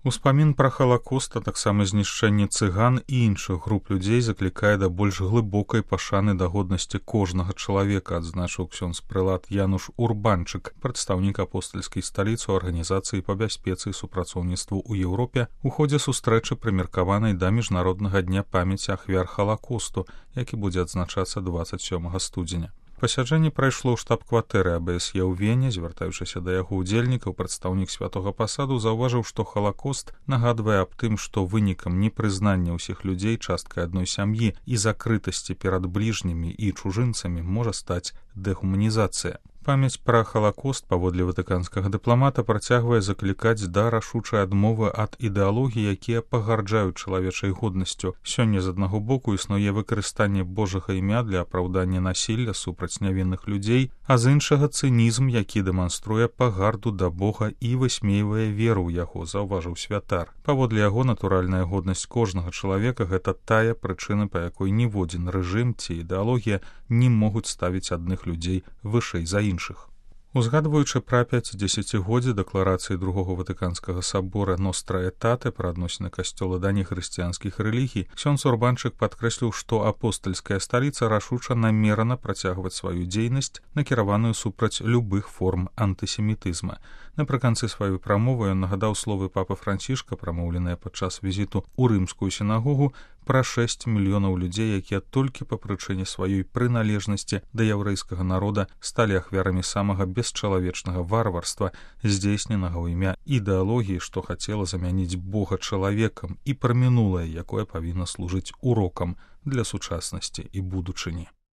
Успамін пра халакост, а таксама знішчэнне цыган і іншых груп людзей заклікае да больш глыбокай пашаны да годнасці кожнага чалавека, адзначыў ксёндз-прэлат Януш Урбанчык, прадстаўнік апостальскай сталіцы ў арганізацыі па бяспецы і супрацоўніцтву ў Еўропе у ходзе сустрэчы, прымеркаванай да міжнароднага дня памяці ахвяр халакосту, які будзе адзначацца 27 студзеня. Пасяджэнне прайшло ў штаб-кватэры АБСЕ ў Вене. Звяртаючыся да яго ўдзельнікаў, прадстаўнік святога пасаду заўважыў, што халакост нагадвае аб тым, што вынікам непрызнання ўсіх людзей часткай адной сям'і і закрытасці перад бліжнімі і чужынцамі можа стаць дэхуманізацыя. Памяць пра халакост, паводле ватыканскага дыпламата, працягвае заклікаць да рашучай адмовы ад ідэалогій, якія пагарджаюць чалавечай годнасцю. Сёння з аднаго боку існуе выкарыстанне Божага імя для апраўдання насілля супраць нявінных людзей, а з іншага цынізм, які дэманструе пагарду да Бога і высмейвае веру ў яго, заўважыў святар. Паводле яго, натуральная годнасць кожнага чалавека — гэта тая прычына, па якой ніводзін рэжым ці ідэалогія не могуць ставіць адных людзей вышэй за іншых. Узгадваючы пра 50-годдзе дэкларацыі Другога Ватыканскага сабора «Ностра Этате» пра адносіны касцёла да нехрысціянскіх рэлігій, ксёндз Урбанчык падкрэсліў, што апостальская сталіца рашуча намерана працягваць сваю дзейнасць, накіраваную супраць любых форм антысемітызма. Напрыканцы сваёй прамовы ён нагадаў словы папы Францішка, прамоўленыя падчас візіту ў рымскую сінагогу, пра 6 мільёнаў людзей, якія толькі па прычыне сваёй прыналежнасці да яўрэйскага народа сталі ахвярамі самага бесчалавечнага варварства, здзейсненага ў імя ідэалогіі, што хацела замяніць Бога чалавекам, і пра мінулае, якое павінна служыць урокам для сучаснасці і будучыні.